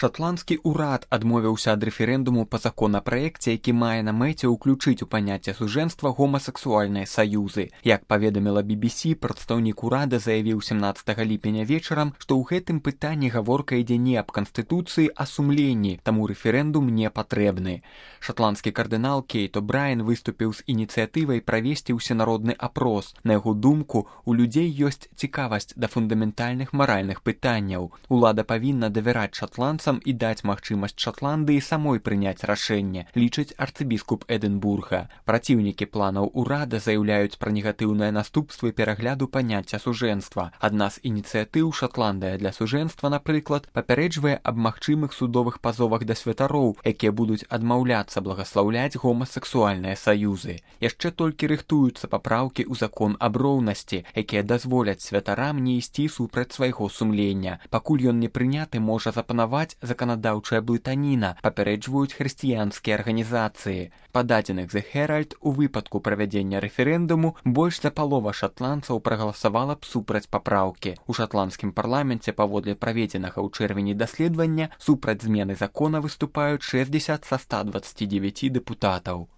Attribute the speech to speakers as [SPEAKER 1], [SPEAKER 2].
[SPEAKER 1] Шатландскі ўрад адмовіўся ад рэферэндуму па законапраекце, які мае на мэце ўключыць у паняцце сужэнства гомасексуальныя саюзы. Як паведаміла BBC, прадстаўнік урада заявіў 17 ліпеня вечарам, што ў гэтым пытанні гаворка ідзе не аб канстытуцыі, а сумленні, таму рэферэндум не патрэбны. Шатландскі кардынал Кейт О'Брайен выступіў з ініцыятывай правесці ўсенародны апрос. На яго думку, у людзей ёсць цікавасць да фундаментальных маральных пытанняў. Улада павінна давяраць шатландцам і даць магчымасць Шатландыі самой прыняць рашэнне, лічыць арцыбіскуп Эдынбурга. Праціўнікі планаў урада заяўляюць пра негатыўныя наступствы перагляду паняцця сужэнства. Адна з ініцыятыў «Шатландыя для сужэнства», напрыклад, папярэджвае аб магчымых судовых пазовах да святароў, якія будуць адмаўляцца благаслаўляць гомасексуальныя саюзы. Яшчэ толькі рыхтуюцца папраўкі ў закон аб роўнасці, якія дазволяць святарам не ісці супраць свайго сумлення. Пакуль ён не прыняты, можа запанаваць заканадаўчая блытаніна, папярэджваюць хрысціянскія арганізацыі. Па дадзеных The Herald, у выпадку правядзення рэферэндуму больш за палова шатландцаў прагаласавала б супраць папраўкі. У шатландскім парламенце паводле праведзенага ў чэрвені даследавання супраць змены закона выступаюць 60 са 129 дэпутатаў.